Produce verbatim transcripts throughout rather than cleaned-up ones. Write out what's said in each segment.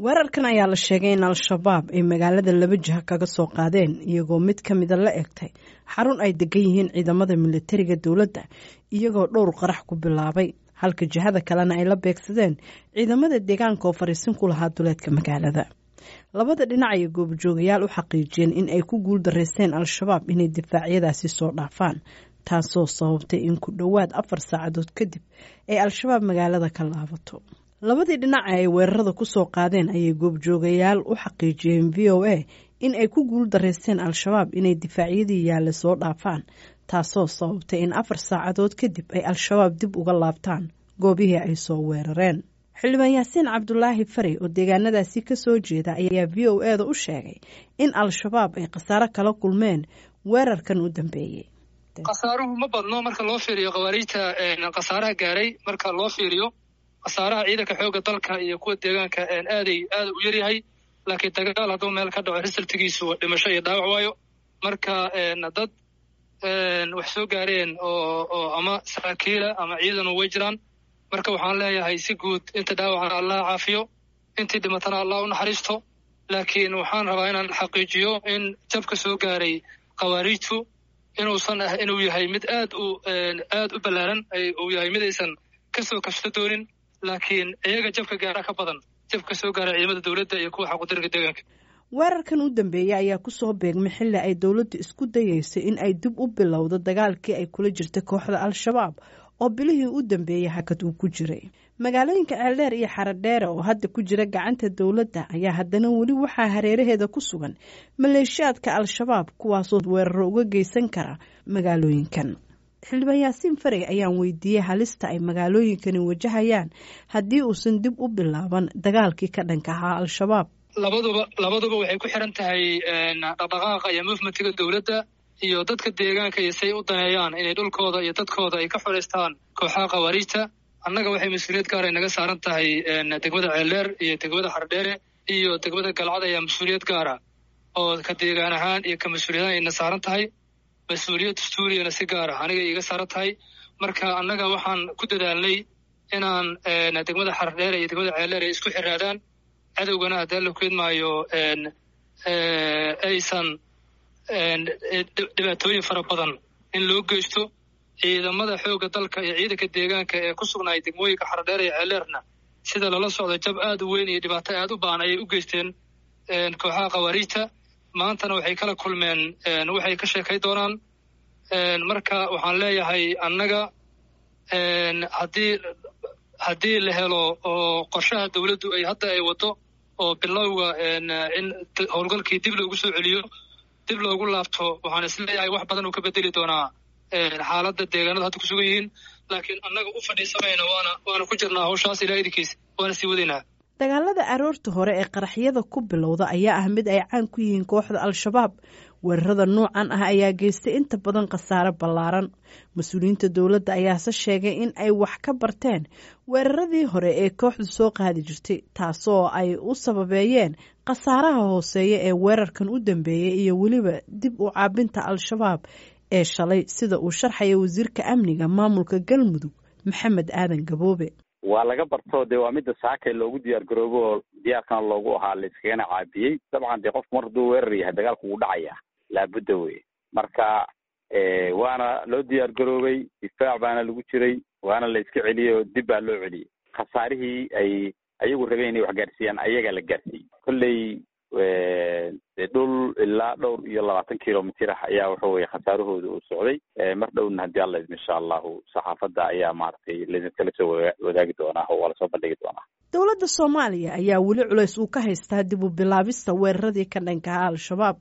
Weerarkan ayaa la sheegay in Al-Shabaab ay magaalada laba jiha kaga soo qaadeen, iyagoo mid ka mida la egtay xarun ay degan yihiin ciidamada militariga dowladda, iyagoo dhowr qarax ku bilaabay, halka jihada kalena ay la beegsadeen ciidamada deegaanka oo fariisin ku lahaa duleedka magaalada. Labada dhinac ayay goobjoogayaal u xaqiijiyeen in ay ku guuldareysteen Al-Shabaab inay difaacyadaasi soo dhaafaan, taasoo sababtay in ku dhowaad afar saacadood kadib ay Al-Shabaab magaalada ka laabato. Labadii dhinac ay weerarada kusoo qaadeen ayay goobjoogayaal u xaqiijiyeen V O A in ay ku guuldareysteen Al-Shabaab inay difaacyadii yaalla soo dhaafaan, taasoo sababtay in afar saacadood kadib ay Al-Shabaab dib uga laabtaan goobihii ay soo weerareen. Xildhibaan Yaasiin Cabdulaahi Farey oo deegaanadaasi kasoo jeeda ayaa V O A da u sheegay in Al-Shabaab ay khasaaro kala kulmeen weerarkan u dambeeyey. Khasaaruhu ma badno marka loo fiiriyo khawaariijta, khasaaraha gaaray marka loo fiiriyo khasaaraha ciidanka xoogga dalka iyo kuwa deegaanka aaday aada u yaryahay, laakiin dagaal hadduu meel ka dhaco risaltigiisu dhimasho iyo dhaawac waayo. Marka dad wax soo gaareen oo oo ama saraakiila ama ciidanu way jiraan. Marka waxaan leeyahay si guud inta dhaawacana Allah caafiyo, intii dhimatana Allah u naxariisto. Laakiin waxaan rabaa inaan xaqiijiyo in jabka soo gaaray khawaariijtu inuusan ah inuu yahay mid aad u aad u ballaaran, uu yahay mid aysan kasoo kabso doonin, laakiin iyaga jabka gaara ka badan jabka soo gaara ciidamada dowladda iyo kuwa xaqudarka deegaanka. Weerarkan u dambeeyey ayaa kusoo beegmay xilli ay dowladdu isku dayeyso in ay dib u bilowdo dagaalkii ay kula jirta kooxda Al-Shabaab oo bilihii u dambeeyey hakad uu ku jiray. Magaalooyinka Ceeldheer iyo Xaradheere oo hadda ku jira gacanta dowladda ayaa haddana weli waxaa hareeraheeda ku sugan maleeshiyaadka Al-Shabaab, kuwaasoo weeraro uga geysan kara magaalooyinkan. Xildhibaan Yaasiin Farey ayaan weydiiyey halista ay magaalooyinkani wajahayaan haddii uusan dib u bilaaban dagaalkii ka dhanka ahaa Al-Shabaab. Labaduba labaduba waxay ku xiran tahay dhaqdhaqaaqa iyo movementiga dowladda iyo dadka deegaanka iyo say u daneeyaan inay dhulkooda iyo dadkooda ay ka xoreystaan kooxaha khawaariijta. Annaga waxay mas-uuliyad gaar ay naga saaran tahay degmada Ceeldheer iyo degmada Xardheere iyo degmada Galcad ayaa mas-uuliyad gaara oo ka deegaan ahaan iyo ka mas-uuliyad ahaan ayna saaran tahay, mas-uuliyad dastuuriyana si gaara aniga iiga saaran tahay. Marka annaga waxaan ku dadaalnay inaan degmada Xardheere iyo degmada Ceeldheer ay isku xiraadaan, cadowgana haddii la keedmaayo aysan dhibaatooyin fara badan in loo geysto. Ciidamada xoogga dalka iyo ciidanka deegaanka ee ku sugnaay degmooyinka Xardheer iyo Ceeldheerna sida lala socdo jab aad u weyn iyo dhibaato aad u baahan ayay u geysteen kooxaha khawaariijta. Maantana waxay kala kulmeen waxay ka sheekay doonaan. Marka waxaan leeyahay annaga haddii haddii la helo oo qorshaha dowladdu ay hadda ay wado oo bilowga in howlgalkii dib loogu soo celiyo, dib loogu laabto, waxaan isleeyahay wax badan uu ka bedeli doonaa xaaladda deegaanada hadda ku sugan yihiin. Laakiin annaga u fadhiisamayna, waana waana ku jirnaa hawshaas ilaa idinkiis, waana sii wadaynaa. Dagaalada aroorta hore ee qaraxyada ku bilowda ayaa ah mid ay caan ku yihiin kooxda Al-Shabaab. Weerarada noocan ah ayaa geystay inta badan khasaare ballaaran. Mas-uuliyiinta dowladda ayaase sheegay in ay wax ka barteen weeraradii hore ee kooxdu soo qaadi jirtay, taasoo ay u sababeeyeen khasaaraha hooseeya ee weerarkan u dambeeyey iyo weliba dib u caabinta Al-Shabaab ee shalay, sida uu sharxaya wasiirka amniga maamulka Galmudug Maxamed Aadan Gaboobe. Waa laga barto dee waa midda saakay loogu diyaar garoobo oo diyaarkana loogu ahaa, la iskagana caabiyey. Dabcan dee qofku mar hadduu weerar yahay dagaalku wuu dhacaya, laabudda wey. Marka waana loo diyaar garoobay, difaac baana lagu jiray, waana la iska celiyey oo dib baa loo celiyey. Khasaarihii ay ayagu rabeen inay wax gaarsiiyaan ayagaa la gaarsiiyey. Kolley dhul ilaa dhowr iyo labaatan kilomitir ah ayaa waxa weye khasaarahooda uu socday. Mar dhowna haddii alla idmo insha allahu saxaafadda ayaa maaragtay laidinkala soo wadaagi doonaa oo waa lasoo bandhigi doonaa. Dowladda Soomaaliya ayaa weli culays uu ka haystaa dib u bilaabista weeraradii ka dhanka ahaa Al-Shabaab.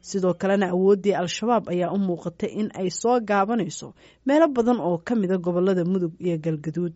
Sidoo kalena awooddii Al-Shabaab ayaa u muuqatay in ay soo gaabanayso meelo badan oo ka mida gobolada Mudug iyo Galgaduud.